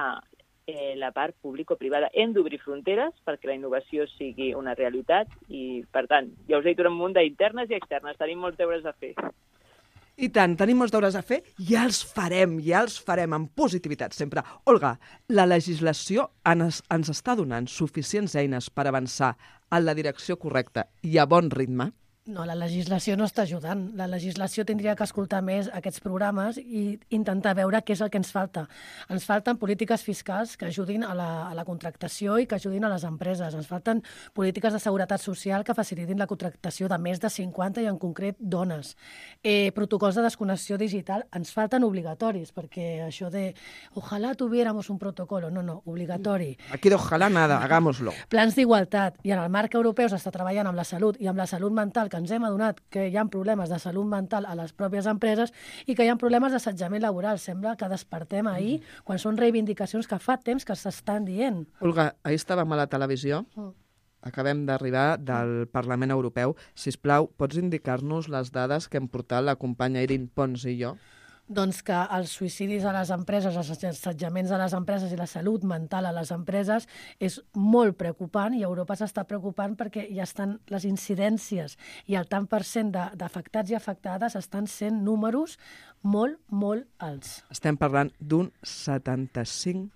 la part público-privada. Hem d'obrir fronteres perquè la innovació sigui una realitat i, per tant, ja us he dit un munt d'internes i externes. Tenim molts deures a fer. I tant, tenim molts deures a fer i ja els farem amb positivitat sempre. Olga, la legislació ens està donant suficients eines per avançar en la direcció correcta i a bon ritme? No, la legislació no està ajudant. La legislació tindria que escoltar més aquests programes i intentar veure què és el que ens falta. Ens falten polítiques fiscals que ajudin a la contractació i que ajudin a les empreses. Ens falten polítiques de seguretat social que facilitin la contractació de més de 50 i en concret dones. Protocols de desconnexió digital ens falten obligatoris, perquè això de ojalá tuviéramos un protocolo, no, obligatori. Aquí de ojalá nada, hagámoslo. Plans d'igualtat. I en el marc europeu s'està treballant amb la salut i amb la salut mental, que ens hem adonat que hi ha problemes de salut mental a les pròpies empreses i que hi ha problemes d'assetjament laboral. Sembla que despertem ahir quan són reivindicacions que fa temps que s'estan dient. Olga, ahir estàvem a la televisió, acabem d'arribar del Parlament Europeu. Sisplau, pots indicar-nos les dades que hem portat la companya Irin Pons i jo? Doncs que els suïcidis a les empreses, els assetjaments a les empreses i la salut mental a les empreses és molt preocupant i Europa s'està preocupant perquè ja estan les incidències i el tant per cent d'afectats i afectades estan sent números molt, molt alts. Estem parlant d'un 75%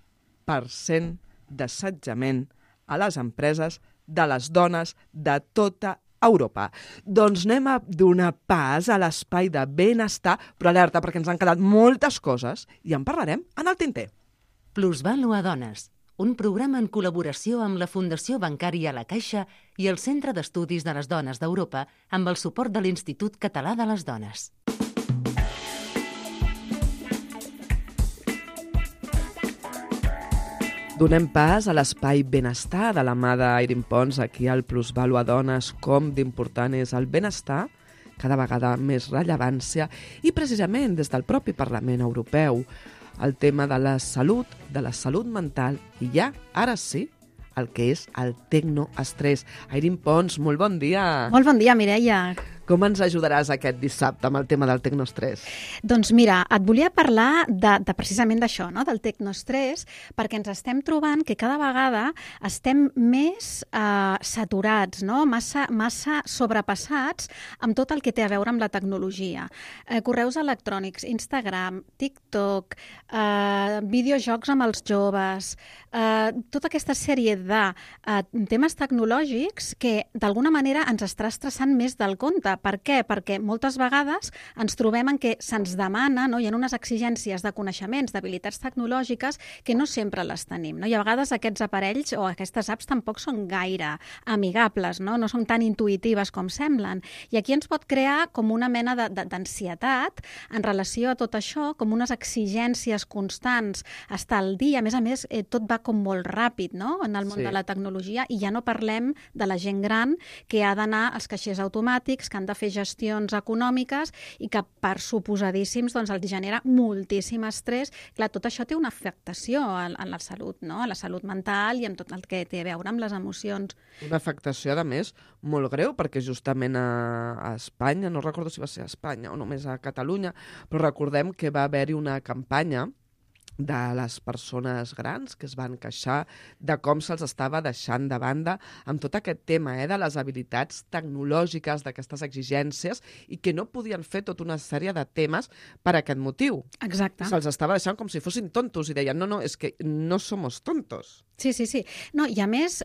d'assetjament a les empreses de les dones de tota Europa. Doncs anem a donar pas a l'espai de benestar, però alerta, perquè ens han quedat moltes coses i en parlarem en el tinter. Plusvalua Dones, un programa en col·laboració amb la Fundació Bancària La Caixa i el Centre d'Estudis de les Dones d'Europa amb el suport de l'Institut Català de les Dones. Donem pas a l'espai benestar de la mà d'Irin Pons, aquí al Plusvalua Dones, com d'important és el benestar, cada vegada més rellevància, i precisament des del propi Parlament Europeu, el tema de la salut mental, i ja, ara sí, el que és el tecnoestrès. Irin Pons, molt bon dia. Molt bon dia, Mireia. Com ens ajudaràs aquest dissabte amb el tema del tecnoestrès? Doncs mira, et volia parlar precisament d'això, no? Del tecnoestrès, perquè ens estem trobant que cada vegada estem més saturats, no? massa sobrepassats amb tot el que té a veure amb la tecnologia. Correus electrònics, Instagram, TikTok, videojocs amb els joves, tota aquesta sèrie de temes tecnològics que d'alguna manera ens està estressant més del compte. Per què? Perquè moltes vegades ens trobem en què se'ns demana, no? Hi ha unes exigències de coneixements, d'habilitats tecnològiques que no sempre les tenim, no? I a vegades aquests aparells o aquestes apps tampoc són gaire amigables, no? No són tan intuïtives com semblen. I aquí ens pot crear com una mena d'ansietat en relació a tot això, com unes exigències constants, estar al dia. A més, tot va com molt ràpid, no? En el món de la tecnologia, i ja no parlem de la gent gran que ha d'anar als caixers automàtics, que han de fer gestions econòmiques i que per suposadíssims doncs, els genera moltíssim estrès. Clar, tot això té una afectació en la salut, no? A la salut mental i en tot el que té a veure amb les emocions. Una afectació, a més, molt greu, perquè justament a Espanya, no recordo si va ser a Espanya o només a Catalunya, però recordem que va haver-hi una campanya de les persones grans que es van queixar de com se'ls estava deixant de banda amb tot aquest tema de les habilitats tecnològiques, d'aquestes exigències, i que no podien fer tota una sèrie de temes per aquest motiu. Exacte. Se'ls estava deixant com si fossin tontos i deien, no, és que no somos tontos. Sí. No, i a més,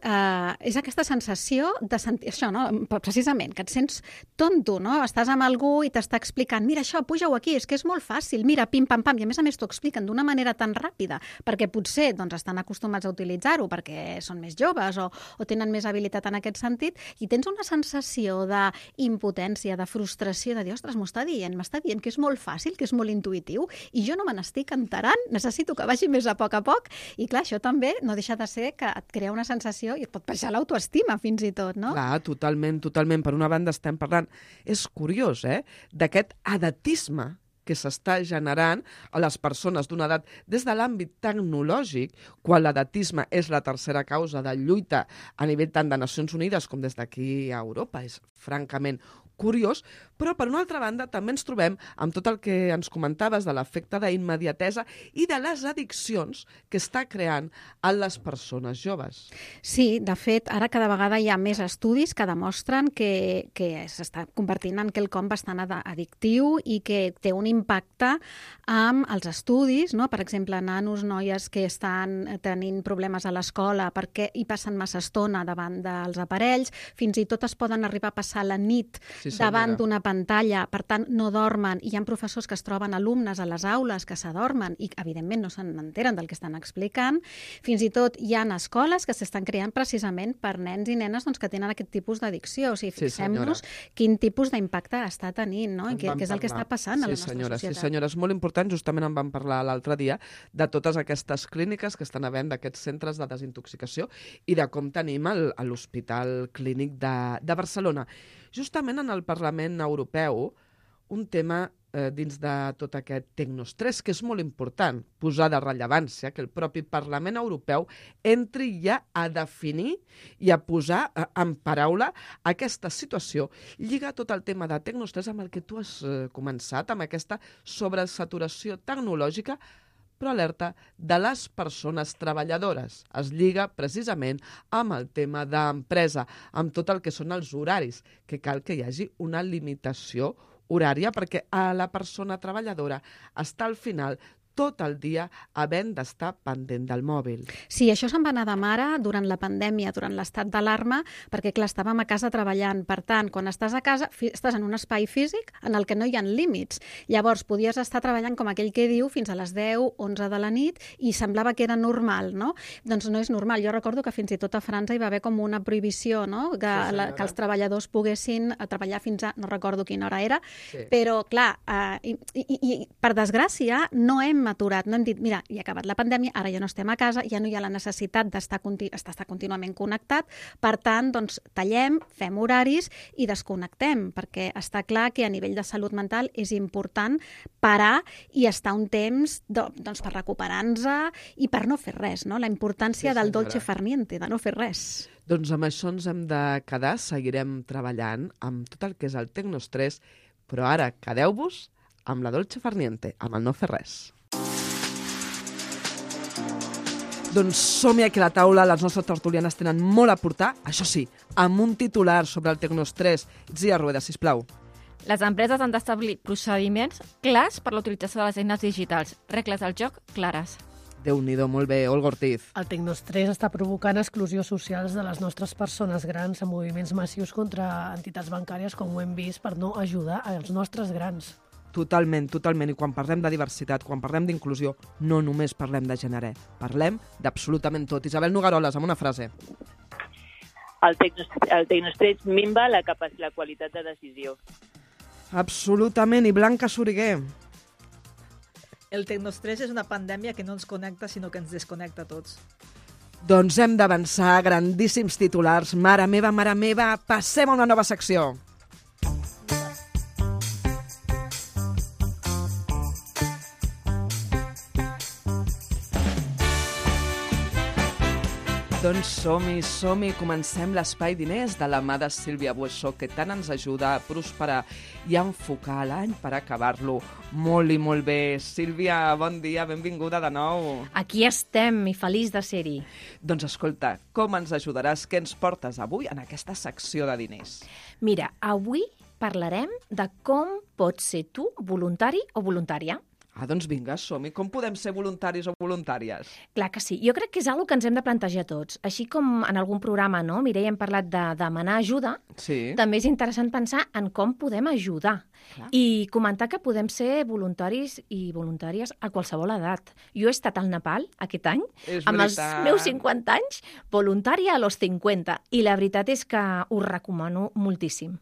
és aquesta sensació de sentir això, no? Precisament, que et sents tonto, no? Estàs amb algú i t'està explicant, mira això, puja-ho aquí, és que és molt fàcil, mira, pim-pam-pam, i a més t'ho expliquen d'una manera tan ràpida, perquè potser estan acostumats a utilitzar-ho perquè són més joves o tenen més habilitat en aquest sentit, i tens una sensació d'impotència, de frustració, de dir, ostres, m'està dient que és molt fàcil, que és molt intuïtiu, i jo no me n'estic enterant, necessito que vagi més a poc, i clar, això també no deixa de ser que et crea una sensació i et pot baixar l'autoestima fins i tot, no? Clar, totalment. Per una banda estem parlant, és curiós, d'aquest edatisme que s'està generant a les persones d'una edat des de l'àmbit tecnològic, quan l'edatisme és la tercera causa de lluita a nivell tant de Nacions Unides com des d'aquí a Europa. És francament curiós, però per una altra banda també ens trobem amb tot el que ens comentaves de l'efecte d'immediatesa i de les addiccions que està creant en les persones joves. Sí, de fet, ara cada vegada hi ha més estudis que demostren que s'està convertint en quelcom bastant addictiu i que té un impacte amb els estudis, no? Per exemple, nanos, noies que estan tenint problemes a l'escola perquè hi passen massa estona davant dels aparells, fins i tot es poden arribar a passar la nit davant d'una pantalla, per tant no dormen, i hi ha professors que es troben alumnes a les aules que s'adormen i evidentment no se n'enteren del que estan explicant. Fins i tot hi ha escoles que s'estan creant precisament per nens i nenes que tenen aquest tipus d'addicció. O sigui, fixem-nos quin tipus d'impacte està tenint, no? I què és el que està passant a la nostra societat. Sí, senyora, és molt important, justament en vam parlar l'altre dia, de totes aquestes clíniques que estan havent d'aquests centres de desintoxicació i de com tenim l'Hospital Clínic de Barcelona. Justament en el Parlament Europeu, un tema dins de tot aquest tecnostrès, que és molt important posar de rellevància, que el propi Parlament Europeu entri ja a definir i a posar en paraula aquesta situació. Lliga tot el tema de tecnostrès amb el que tu has començat, amb aquesta sobresaturació tecnològica, però alerta de les persones treballadores. Es lliga precisament amb el tema d'empresa, amb tot el que són els horaris, que cal que hi hagi una limitació horària perquè a la persona treballadora està al final tot el dia havent d'estar pendent del mòbil. Sí, això se'n va anar de mare durant la pandèmia, durant l'estat d'alarma, perquè, clar, estàvem a casa treballant. Per tant, quan estàs a casa, estàs en un espai físic en el que no hi ha límits. Llavors, podies estar treballant, com aquell que diu, fins a les 10, 11 de la nit, i semblava que era normal, no? Doncs no és normal. Jo recordo que fins i tot a França hi va haver com una prohibició, no? Que els treballadors poguessin treballar fins a... no recordo quina hora era, però, clar, i per desgràcia, no hem aturat, no hem dit, mira, ja ha acabat la pandèmia, ara ja no estem a casa, ja no hi ha la necessitat d'estar contínuament connectat, per tant, doncs, tallem, fem horaris i desconnectem, perquè està clar que a nivell de salut mental és important parar i estar un temps doncs, per recuperar-nos i per no fer res, no? La importància del dolce far niente, de no fer res. Doncs amb això ens hem de quedar, seguirem treballant amb tot el que és el tecnostrès, però ara quedeu-vos amb la dolce far niente, amb el no fer res. Doncs som-hi aquí a la taula, les nostres tertulianes tenen molt a portar, això sí, amb un titular sobre el tecnostrès. Itzia Rueda, sisplau. Les empreses han d'establir procediments clars per l'utilització de les eines digitals, regles del joc clares. Déu-n'hi-do, molt bé, Olga Ortiz. El tecnostrès està provocant exclusions socials de les nostres persones grans amb moviments massius contra entitats bancàries, com ho hem vist, per no ajudar als nostres grans. Totalment. I quan parlem de diversitat, quan parlem d'inclusió, no només parlem de gènere, parlem d'absolutament tot. Isabel Nogaroles, amb una frase. El tecnostrès minva la qualitat de decisió. Absolutament. I Blanca Soriguer. El tecnostrès és una pandèmia que no ens connecta, sinó que ens desconnecta a tots. Doncs hem d'avançar, grandíssims titulars. Mare meva, passem a una nova secció. Doncs som-hi, comencem l'Espai Diners de la mà de Sílvia Buessó, que tant ens ajuda a prosperar i a enfocar l'any per acabar-lo molt i molt bé. Sílvia, bon dia, benvinguda de nou. Aquí estem i feliç de ser-hi. Doncs escolta, com ens ajudaràs? Què ens portes avui en aquesta secció de diners? Mira, avui parlarem de com pots ser tu voluntari o voluntària. Doncs vinga, som-hi. Com podem ser voluntaris o voluntàries? Clar que sí. Jo crec que és una que ens hem de plantejar tots. Així com en algun programa, no, Mireia, hem parlat de demanar ajuda, Sí. també és interessant pensar en com podem ajudar. Clar. I comentar que podem ser voluntaris i voluntàries a qualsevol edat. Jo he estat al Nepal aquest any, És amb els veritat. meus 50 anys, voluntària a los 50. I la veritat és que us recomano moltíssim.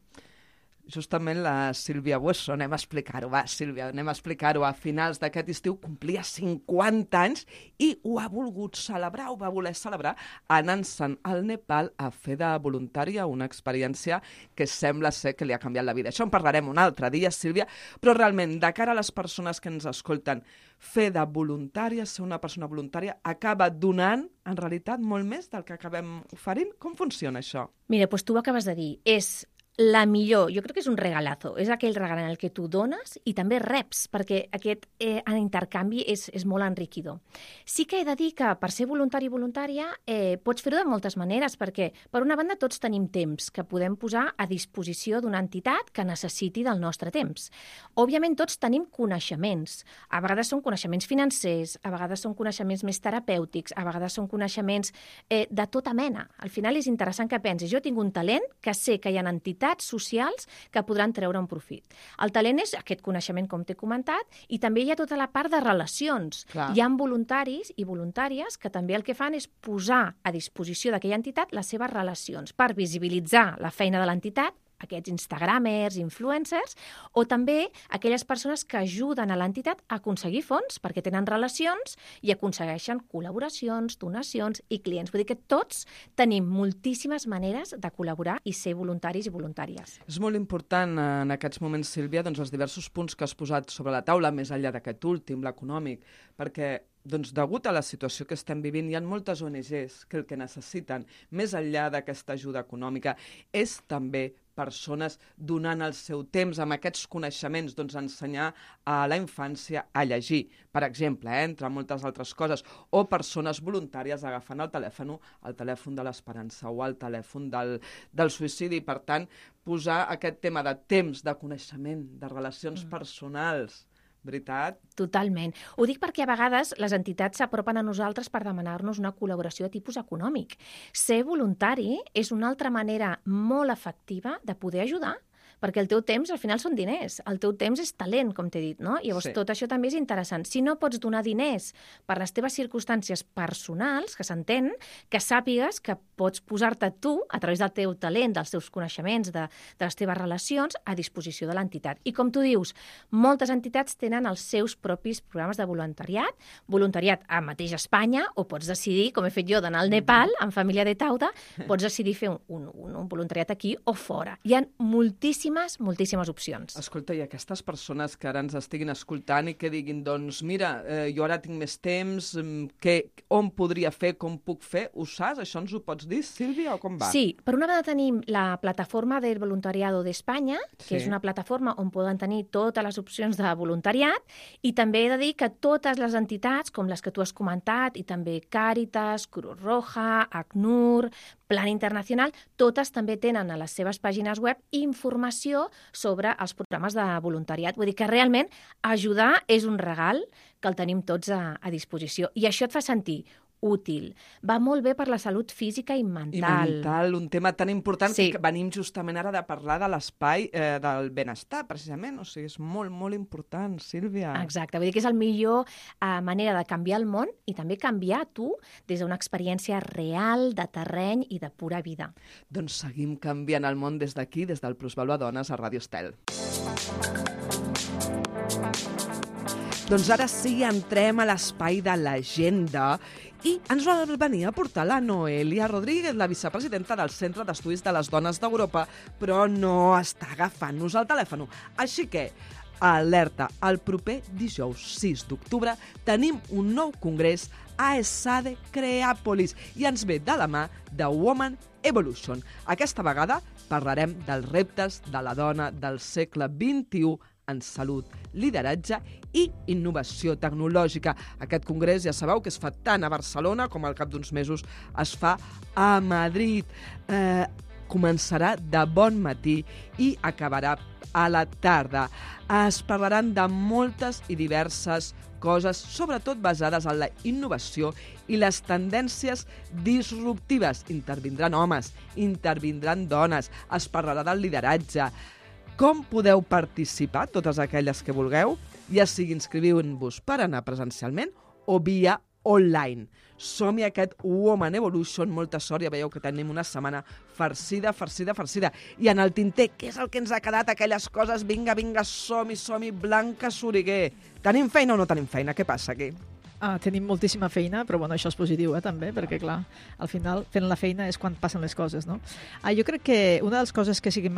Justament la Sílvia Buessó, anem a explicar-ho, va, Sílvia, anem a explicar-ho. A finals d'aquest estiu complia 50 anys i ho ha volgut celebrar, ho va voler celebrar anant-se'n al Nepal a fer de voluntària, una experiència que sembla ser que li ha canviat la vida. Això en parlarem un altre dia, Sílvia, però realment, de cara a les persones que ens escolten, fer de voluntària, ser una persona voluntària, acaba donant, en realitat, molt més del que acabem oferint? Com funciona això? Mira, doncs tu ho acabes de dir, és la millor, jo crec que és un regalazo, és aquell regal en el que tu dones i també reps, perquè aquest intercanvi és molt enriquidor. Sí que he de dir que per ser voluntari i voluntària pots fer-ho de moltes maneres, perquè per una banda tots tenim temps que podem posar a disposició d'una entitat que necessiti del nostre temps. Òbviament tots tenim coneixements, a vegades són coneixements financers, a vegades són coneixements més terapèutics, a vegades són coneixements de tota mena. Al final és interessant que pensis, jo tinc un talent que sé que hi ha entitats socials que podran treure un profit. El talent és aquest coneixement, com t'he comentat, i també hi ha tota la part de relacions. Clar. Hi ha voluntaris i voluntàries que també el que fan és posar a disposició d'aquella entitat les seves relacions per visibilitzar la feina de l'entitat, aquests instagramers, influencers, o també aquelles persones que ajuden a l'entitat a aconseguir fons perquè tenen relacions i aconsegueixen col·laboracions, donacions i clients. Vull dir que tots tenim moltíssimes maneres de col·laborar i ser voluntaris i voluntàries. És molt important en aquests moments, Sílvia, doncs, els diversos punts que has posat sobre la taula, més enllà d'aquest últim, l'econòmic, perquè doncs, degut a la situació que estem vivint, hi ha moltes ONGs que el que necessiten, més enllà d'aquesta ajuda econòmica, és també persones donant el seu temps amb aquests coneixements, doncs ensenyar a la infància a llegir, per exemple, entre moltes altres coses, o persones voluntàries agafant el telèfon de l'esperança o el telèfon del suïcidi. Per tant, posar aquest tema de temps, de coneixement, de relacions personals, veritat? Totalment. Ho dic perquè a vegades les entitats s'apropen a nosaltres per demanar-nos una col·laboració de tipus econòmic. Ser voluntari és una altra manera molt efectiva de poder ajudar, perquè el teu temps al final són diners, el teu temps és talent, com t'he dit, no? Llavors tot això també és interessant. Si no pots donar diners per les teves circumstàncies personals, que s'entén, que sàpigues que pots posar-te tu, a través del teu talent, dels teus coneixements, de les teves relacions, a disposició de l'entitat. I com tu dius, moltes entitats tenen els seus propis programes de voluntariat a mateix Espanya, o pots decidir, com he fet jo, d'anar al Nepal, en família de Tauda, pots decidir fer un voluntariat aquí o fora. Hi ha moltíssimes opcions. Escolta, i aquestes persones que ara ens estiguin escoltant i que diguin, doncs mira, jo ara tinc més temps, on podria fer, com puc fer, ho saps? Això ens ho pots dir, Sílvia, o com va? Sí, per una banda tenim la plataforma del voluntariado d'Espanya, que és una plataforma on poden tenir totes les opcions de voluntariat, i també he de dir que totes les entitats, com les que tu has comentat, i també Càritas, Cruz Roja, ACNUR, Plan Internacional, totes també tenen a les seves pàgines web informació sobre els programes de voluntariat. Vull dir que realment ajudar és un regal que el tenim tots a disposició. I això et fa sentir útil. Va molt bé per la salut física i mental. I mental, un tema tan important Sí. que venim justament ara de parlar de l'espai del benestar, precisament. O sigui, és molt, molt important, Sílvia. Exacte, vull dir que és la millor manera de canviar el món i també canviar tu des d'una experiència real, de terreny i de pura vida. Doncs seguim canviant el món des d'aquí, des del Plusvalor Dones a Ràdio Estel. Doncs ara sí, entrem a l'espai de l'agenda i ens va venir a portar la Noelia Rodríguez, la vicepresidenta del Centre d'Estudis de les Dones d'Europa, però no està agafant-nos el telèfon. Així que alerta, el proper dijous 6 d'octubre tenim un nou congrés a ESADE Creàpolis i ens ve de la mà de Woman Evolution. Aquesta vegada parlarem dels reptes de la dona del segle XXI en salut, lideratge i innovació tecnològica. Aquest congrés ja sabeu que es fa tant a Barcelona com al cap d'uns mesos es fa a Madrid. Començarà de bon matí i acabarà a la tarda. Es parlaran de moltes i diverses coses, sobretot basades en la innovació i les tendències disruptives. Intervindran homes, intervindran dones, es parlarà del lideratge. Com podeu participar, totes aquelles que vulgueu, ja sigui inscrivint-vos per anar presencialment o via online. Som-hi aquest Woman Evolution, molta sort, ja veieu que tenim una setmana farcida. I en el tinter, què és el que ens ha quedat? Aquelles coses, vinga, som-hi, Blanca Soriguer. Tenim feina o no tenim feina? Què passa aquí? Tenim moltíssima feina, però bueno, això és positiu, també, perquè clar, al final fent la feina és quan passen les coses, no? Jo crec que una de les coses que sí que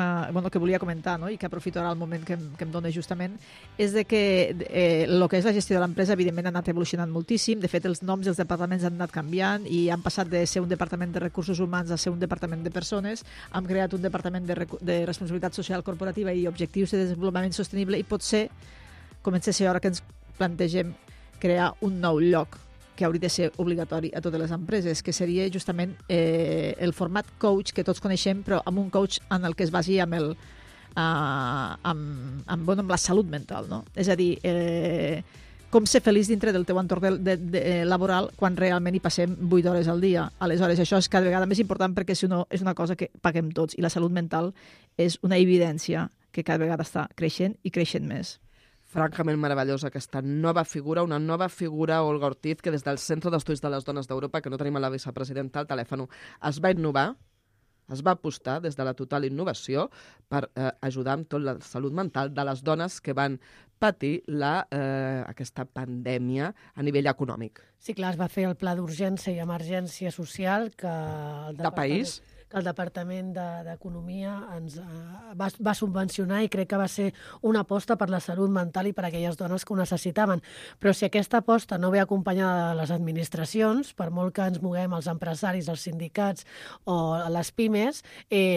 volia comentar, no? I que aprofito ara el moment que em dona justament, és de que el que és la gestió de l'empresa evidentment ha anat evolucionant moltíssim. De fet, els noms dels departaments han anat canviant i han passat de ser un departament de recursos humans a ser un departament de persones. Hem creat un departament de responsabilitat social corporativa i objectius de desenvolupament sostenible i potser comença a ser hora que ens plantegem crear un nou lloc que hauria de ser obligatori a totes les empreses, que seria justament el format coach que tots coneixem, però amb un coach en el que es basi amb la salut mental, no? És a dir, com ser feliç dintre del teu entorn laboral quan realment hi passem 8 hores al dia. Aleshores, això és cada vegada més important perquè si no és una cosa que paguem tots i la salut mental és una evidència que cada vegada està creixent i creixent més. Francament meravellosa aquesta nova figura, una nova figura, Olga Ortiz, que des del Centre d'Estudis de les Dones d'Europa, que no tenim a la vicepresidenta al telèfon, es va innovar, es va apostar des de la total innovació per ajudar amb tot la salut mental de les dones que van patir aquesta pandèmia a nivell econòmic. Sí, clar, es va fer el pla d'urgència i emergència social que de país, que el Departament d'Economia ens va subvencionar i crec que va ser una aposta per la salut mental i per a aquelles dones que ho necessitaven. Però si aquesta aposta no ve acompanyada de les administracions, per molt que ens moguem els empresaris, els sindicats o les pimes,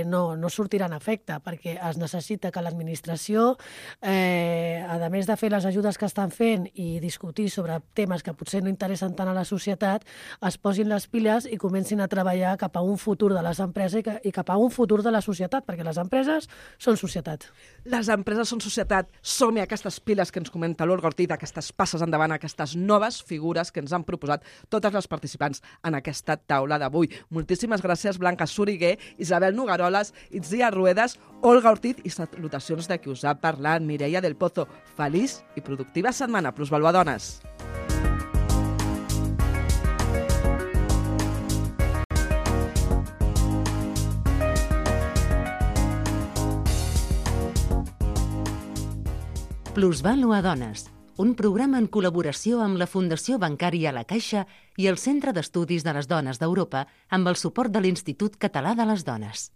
no sortirà en efecte, perquè es necessita que l'administració, a més de fer les ajudes que estan fent i discutir sobre temes que potser no interessen tant a la societat, es posin les piles i comencin a treballar cap a un futur de les empreses i cap a un futur de la societat, perquè les empreses són societat. Les empreses són societat. Som-hi a aquestes piles que ens comenta l'Olga Ortiz, aquestes passes endavant, aquestes noves figures que ens han proposat totes les participants en aquesta taula d'avui. Moltíssimes gràcies, Blanca Soriguer, Isabel Nogaroles, Itzia Ruedas, Olga Ortiz i salutacions de qui us ha parlat, Mireia del Pozo. Feliç i productiva setmana. Plusvalua Dones. Plusvalua Dones, un programa en col·laboració amb la Fundació Bancària La Caixa i el Centre d'Estudis de les Dones d'Europa amb el suport de l'Institut Català de les Dones.